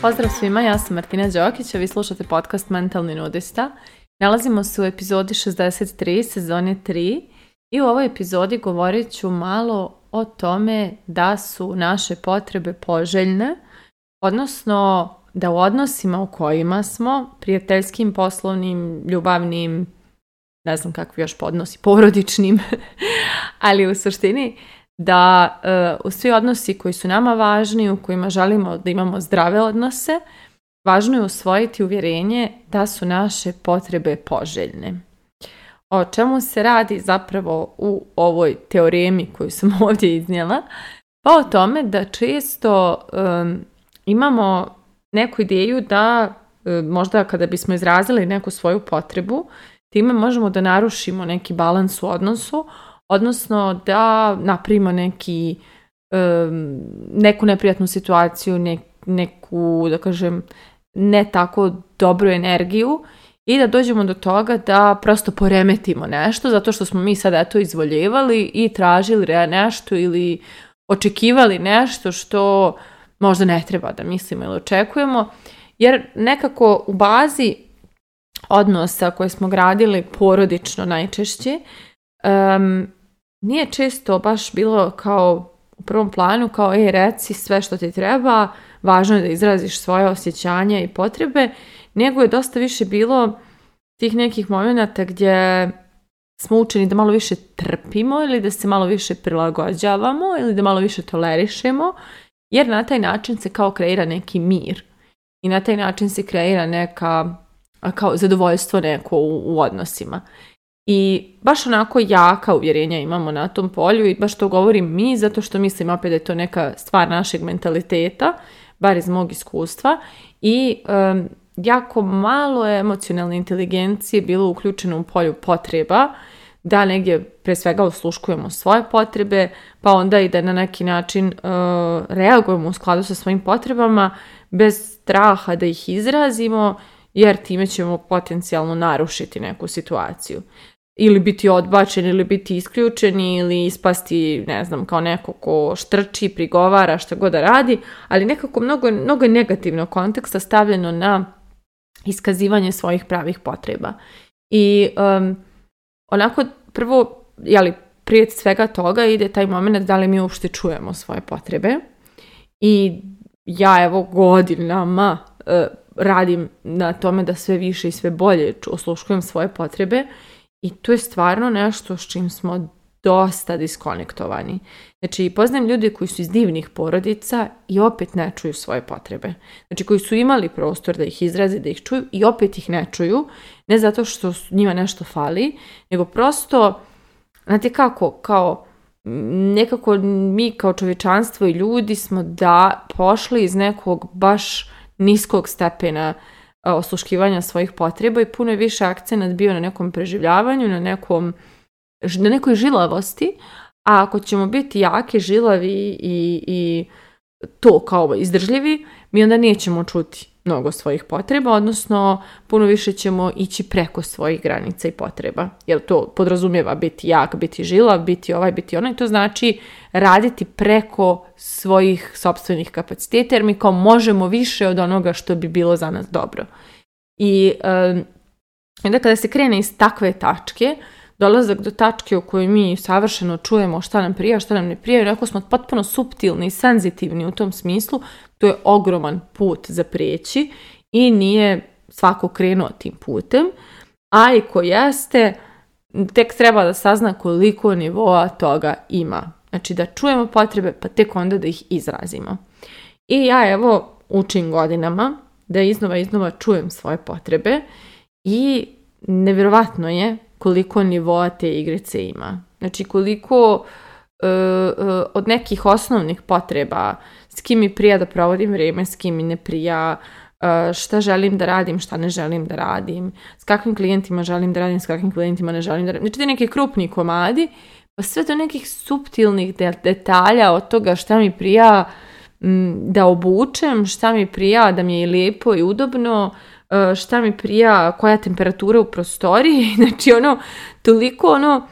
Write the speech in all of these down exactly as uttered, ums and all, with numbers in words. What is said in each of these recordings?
Pozdrav svima, ja sam Martina Đokić, a vi slušate podcast Mentalni nudista. Nalazimo se u epizodi šezdeset tri, sezone tri i u ovoj epizodi govorit ću malo o tome da su naše potrebe poželjne, odnosno da u odnosima u kojima smo, prijateljskim, poslovnim, ljubavnim, ne znam kakvi još podnosi, porodičnim, ali u suštini da uh, u svi odnosi koji su nama važni, u kojima želimo da imamo zdrave odnose, važno je usvojiti uvjerenje da su naše potrebe poželjne. O čemu se radi zapravo u ovoj teoremi koju sam ovdje iznijela? Pa o tome da često um, imamo neku ideju da um, možda kada bismo izrazili neku svoju potrebu, time možemo da narušimo neki balans u odnosu, odnosno da napravimo neki, um, neku neprijatnu situaciju, ne, neku, da kažem, ne tako dobru energiju i da dođemo do toga da prosto poremetimo nešto zato što smo mi sad eto izvoljevali i tražili nešto ili očekivali nešto što možda ne treba da mislimo ili očekujemo, jer nekako u bazi odnosa koje smo gradili porodično najčešće, um, nije često baš bilo kao u prvom planu, kao ej, reci sve što ti treba, važno je da izraziš svoje osjećanja i potrebe, nego je dosta više bilo tih nekih momenata gdje smo učeni da malo više trpimo ili da se malo više prilagođavamo ili da malo više tolerišemo, jer na taj način se kao kreira neki mir i na taj način se kreira neka kao zadovoljstvo neko u, u odnosima. I baš onako jaka uvjerenja imamo na tom polju i baš to govorim mi, zato što mislim opet da je to neka stvar našeg mentaliteta, bar iz mog iskustva, i um, jako malo je emocionalne inteligencije bilo uključeno u polju potreba, da negdje pre svega osluškujemo svoje potrebe, pa onda i da na neki način uh, reagujemo u skladu sa svojim potrebama, bez straha da ih izrazimo, jer time ćemo potencijalno narušiti neku situaciju. Ili biti odbačen, ili biti isključeni, ili ispasti, ne znam, kao neko ko štrči, prigovara, šta god da radi, ali nekako mnogo, mnogo je negativnog konteksta stavljeno na iskazivanje svojih pravih potreba. I um, onako prvo, jeli, prije svega toga ide taj moment da li mi uopšte čujemo svoje potrebe. I ja evo godinama uh, radim na tome da sve više i sve bolje osluškujem svoje potrebe i to je stvarno nešto s čim smo dosta diskonektovani. Znači, poznajem ljude koji su iz divnih porodica i opet ne čuju svoje potrebe. Znači, koji su imali prostor da ih izraze, da ih čuju i opet ih ne čuju, ne zato što njima nešto fali, nego prosto, znate kako, kao nekako mi kao čovječanstvo i ljudi smo da pošli iz nekog baš niskog stepena osluškivanja svojih potreba i puno je više akcenat bio na nekom preživljavanju, na, nekom, na nekoj žilavosti, a ako ćemo biti jaki, žilavi i, i to kao izdržljivi, mi onda nećemo čuti mnogo svojih potreba, odnosno puno više ćemo ići preko svojih granica i potreba, jer to podrazumijeva biti jak, biti žilav, biti ovaj, biti onaj, to znači raditi preko svojih sopstvenih kapaciteta, jer mi kao možemo više od onoga što bi bilo za nas dobro. I um, onda kada se krene iz takve tačke, dolazak do tačke u kojoj mi savršeno čujemo šta nam prija, šta nam ne prija, jer ako smo potpuno suptilni i senzitivni u tom smislu, to je ogroman put za prijeći i nije svako krenuo tim putem, a i ko jeste, tek treba da sazna koliko nivoa toga ima. Znači da čujemo potrebe, pa tek onda da ih izrazimo. I ja evo učim godinama da iznova iznova čujem svoje potrebe i nevjerovatno je koliko nivoa te igrice ima. Znači koliko uh, uh, od nekih osnovnih potreba, s kim mi prija da provodim vrijeme, s kim mi ne prija, uh, šta želim da radim, šta ne želim da radim, s kakvim klijentima želim da radim, s kakvim klijentima ne želim da radim. Znači te neki krupni komadi, pa sve do nekih suptilnih detalja od toga šta mi prija m, da obučem, šta mi prija da mi je lijepo i udobno, šta mi prija, koja temperatura u prostoriji, znači ono, toliko ono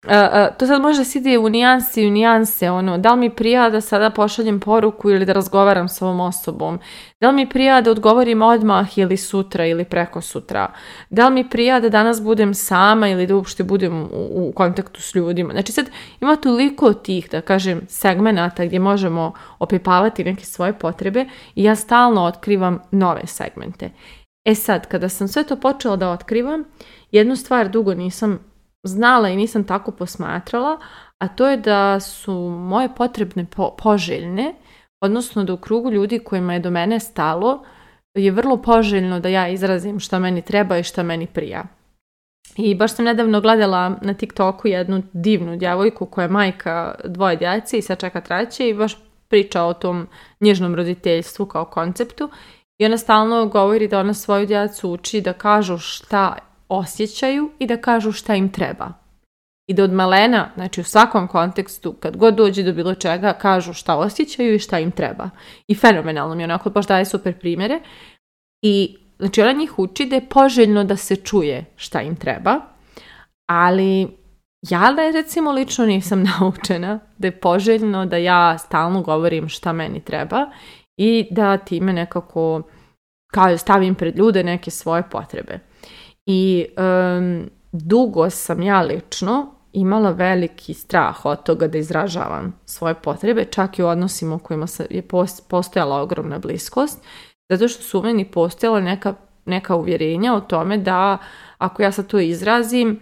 Uh, uh, to sad može se ide u nijanse i u nijanse, ono, da li mi prija da sada pošaljem poruku ili da razgovaram s ovom osobom, da li mi prija da odgovorim odmah ili sutra ili preko sutra, da li mi prija da danas budem sama ili da uopšte budem u, u kontaktu s ljudima. Znači sad ima toliko tih, da kažem, segmenata gdje možemo opipavati neke svoje potrebe i ja stalno otkrivam nove segmente. E sad, kada sam sve to počela da otkrivam, jednu stvar dugo nisam znala i nisam tako posmatrala, a to je da su moje potrebne po- poželjne, odnosno da u krugu ljudi kojima je do mene stalo je vrlo poželjno da ja izrazim šta meni treba i šta meni prija. I baš sam nedavno gledala na TikToku jednu divnu djevojku koja je majka dvoje djece i sad čeka treće i baš priča o tom nježnom roditeljstvu kao konceptu i ona stalno govori da ona svoju djecu uči da kažu šta osjećaju i da kažu šta im treba. I da od malena, znači u svakom kontekstu, kad god dođe do bilo čega, kažu šta osjećaju i šta im treba. I fenomenalno mi onako baš daje super primjere. I znači ona njih uči da je poželjno da se čuje šta im treba, ali ja da je recimo lično nisam naučena da je poželjno da ja stalno govorim šta meni treba i da time nekako kao stavim pred ljude neke svoje potrebe. I um, dugo sam ja lično imala veliki strah od toga da izražavam svoje potrebe, čak i u odnosima u kojima je postojala ogromna bliskost, zato što su u meni postojala neka, neka uvjerenja o tome da ako ja sad to izrazim,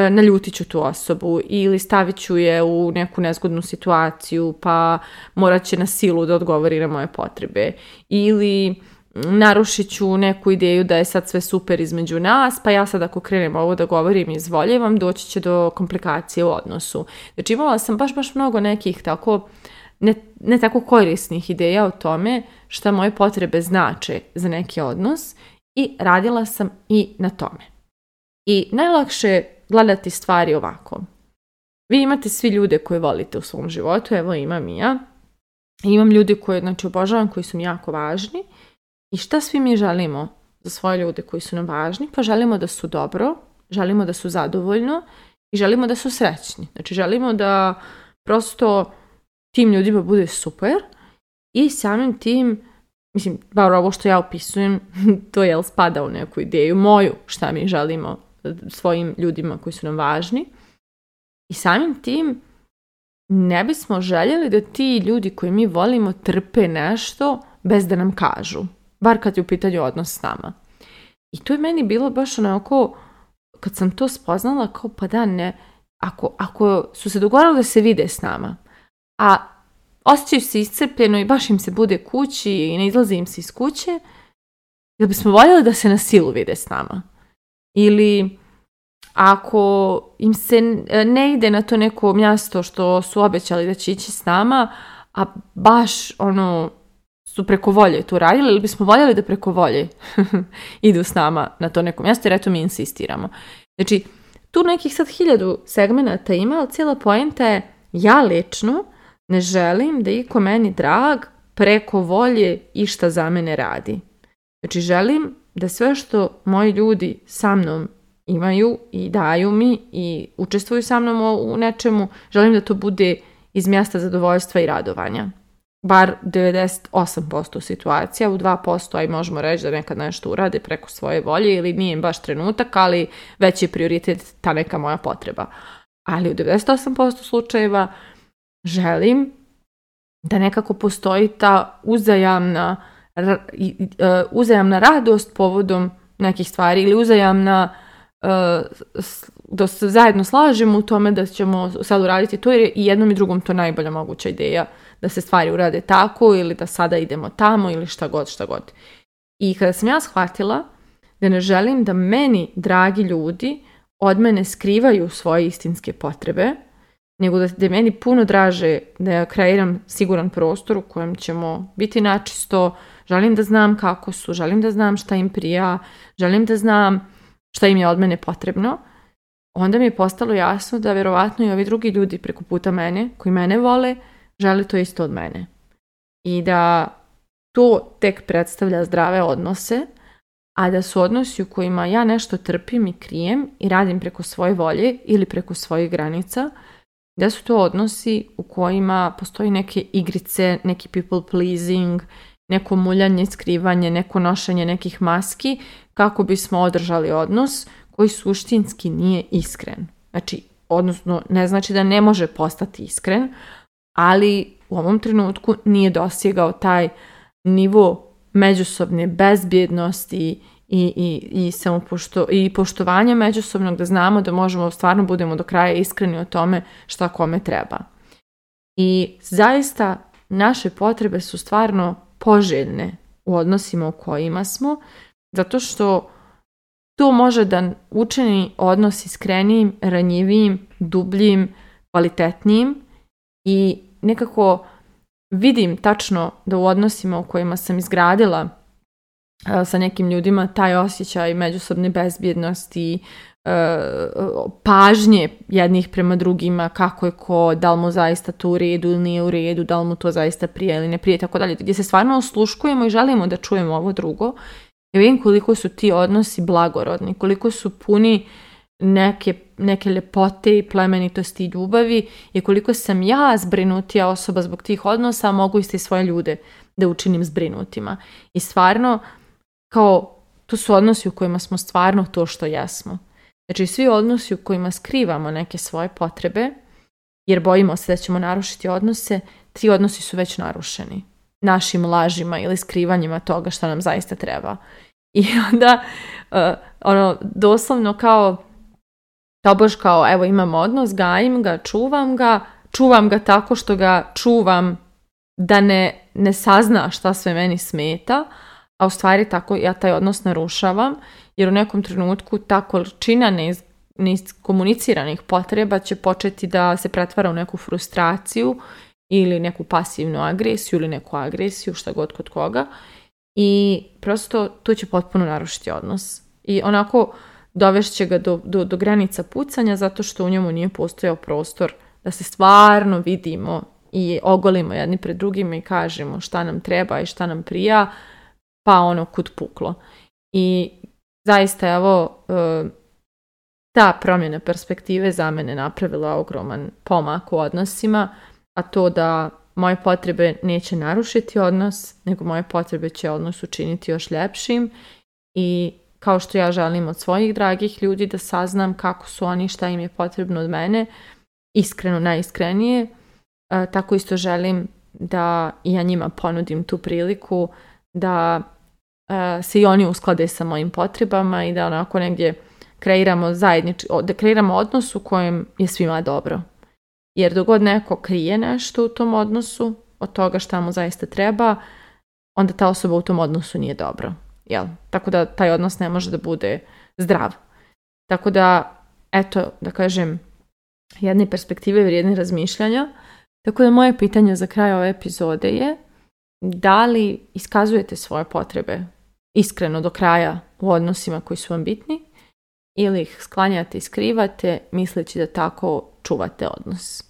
naljutit ću tu osobu ili stavit ću je u neku nezgodnu situaciju pa morat će na silu da odgovori na moje potrebe ili narušit ću neku ideju da je sad sve super između nas, pa ja sad ako krenem ovo da govorim i izvoljevam, doći će do komplikacije u odnosu. Znači imala sam baš baš mnogo nekih tako, ne, ne tako korisnih ideja o tome šta moje potrebe znače za neki odnos i radila sam i na tome. I najlakše je gledati stvari ovako. Vi imate svi ljude koje volite u svom životu, evo imam i ja. Imam ljudi koje znači, obožavam, koji su mi jako važni. I šta svi mi želimo za svoje ljude koji su nam važni? Pa želimo da su dobro, želimo da su zadovoljno i želimo da su srećni. Znači želimo da prosto tim ljudima bude super i samim tim, mislim, bar ovo što ja opisujem, to je spada u neku ideju moju šta mi želimo svojim ljudima koji su nam važni. I samim tim ne bismo željeli da ti ljudi koji mi volimo trpe nešto bez da nam kažu. Bar kad je u pitanju odnos s nama. I to je meni bilo baš onako, kad sam to spoznala, kao pa da ne, ako, ako su se dogovorili da se vide s nama, a osjećaju se iscrpljeno i baš im se bude kući i ne izlazi im se iz kuće, jel bismo voljeli da se na silu vide s nama? Ili ako im se ne ide na to neko mjesto što su obećali da će ići s nama, a baš ono su preko volje to radili, ili bismo voljeli da preko volje idu s nama na to neko mjesto, jer eto mi insistiramo. Znači, tu nekih sad hiljadu segmenata ima, ali cijela poenta je ja lično ne želim da iko meni drag preko volje išta za mene radi. Znači, želim da sve što moji ljudi sa mnom imaju i daju mi i učestvuju sa mnom u nečemu, želim da to bude iz mjesta zadovoljstva i radovanja. Bar devedeset osam posto situacija, u dva posto aj možemo reći da nekad nešto urade preko svoje volje ili nije im baš trenutak, ali već je prioritet ta neka moja potreba. Ali u devedeset osam posto slučajeva želim da nekako postoji ta uzajamna, uzajamna radost povodom nekih stvari ili uzajamna da se zajedno slažemo u tome da ćemo sad uraditi to, jer je i jednom i drugom to najbolja moguća ideja da se stvari urade tako ili da sada idemo tamo ili šta god, šta god. I kada sam ja shvatila da ne želim da meni dragi ljudi od mene skrivaju svoje istinske potrebe, nego da je meni puno draže da ja kreiram siguran prostor u kojem ćemo biti načisto, želim da znam kako su, želim da znam šta im prija, želim da znam šta im je od mene potrebno, onda mi je postalo jasno da vjerovatno i ovi drugi ljudi preko puta mene, koji mene vole, žele to isto od mene. I da to tek predstavlja zdrave odnose, a da su odnosi u kojima ja nešto trpim i krijem i radim preko svoje volje ili preko svojih granica, da su to odnosi u kojima postoji neke igrice, neki people pleasing, neko muljanje, skrivanje, neko nošenje nekih maski kako bismo održali odnos koji suštinski nije iskren. Znači, odnosno ne znači da ne može postati iskren, ali u ovom trenutku nije dosegao taj nivo međusobne bezbjednosti i, i, i, samopošto, i poštovanja međusobnog, da znamo da možemo stvarno budemo do kraja iskreni o tome šta kome treba. I zaista naše potrebe su stvarno poželjne u odnosima u kojima smo, zato što to može da učini odnos iskrenijim, ranjivijim, dubljim, kvalitetnijim i nekako vidim tačno da u odnosima u kojima sam izgradila uh, sa nekim ljudima taj osjećaj međusobne bezbjednosti, uh, pažnje jednih prema drugima, kako je ko, da li mu zaista to u redu ili nije u redu, da li mu to zaista prije ili ne prije, tako dalje, gdje se stvarno osluškujemo i želimo da čujemo ovo drugo. Ja vidim koliko su ti odnosi blagorodni, koliko su puni neke, neke ljepote i plemenitosti i ljubavi i koliko sam ja zbrinutija osoba zbog tih odnosa, a mogu isti svoje ljude da učinim zbrinutima. I stvarno, kao, to su odnosi u kojima smo stvarno to što jesmo. Znači, svi odnosi u kojima skrivamo neke svoje potrebe, jer bojimo se da ćemo narušiti odnose, ti odnosi su već narušeni našim lažima ili skrivanjima toga što nam zaista treba. I onda, uh, ono, doslovno kao, tobož kao, evo imam odnos, gajim ga, čuvam ga, čuvam ga tako što ga čuvam da ne, ne sazna šta sve meni smeta, a u stvari tako ja taj odnos narušavam, jer u nekom trenutku ta količina neiz, neiskomuniciranih potreba će početi da se pretvara u neku frustraciju ili neku pasivnu agresiju ili neku agresiju, šta god kod koga. I prosto to će potpuno narušiti odnos. I onako dovešće ga do, do, do granica pucanja zato što u njemu nije postojao prostor da se stvarno vidimo i ogolimo jedni pred drugima i kažemo šta nam treba i šta nam prija, pa ono kud puklo. I zaista evo ta promjena perspektive za mene napravila ogroman pomak u odnosima, a to da moje potrebe neće narušiti odnos, nego moje potrebe će odnos učiniti još ljepšim i kao što ja želim od svojih dragih ljudi da saznam kako su oni, šta im je potrebno od mene, iskreno, najiskrenije, tako isto želim da ja njima ponudim tu priliku da se i oni usklade sa mojim potrebama i da onako negdje kreiramo zajednič, da kreiramo odnos u kojem je svima dobro. Jer dok god neko krije nešto u tom odnosu, od toga šta mu zaista treba, onda ta osoba u tom odnosu nije dobro. Jel? Tako da taj odnos ne može da bude zdrav. Tako da, eto, da kažem, jedne perspektive vrijedne razmišljanja. Tako da moje pitanje za kraj ove epizode je da li iskazujete svoje potrebe iskreno do kraja u odnosima koji su vam bitni ili ih sklanjate i skrivate misleći da tako čuvate odnos.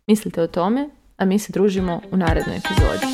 Mislite o tome, a mi se družimo u narednoj epizodi.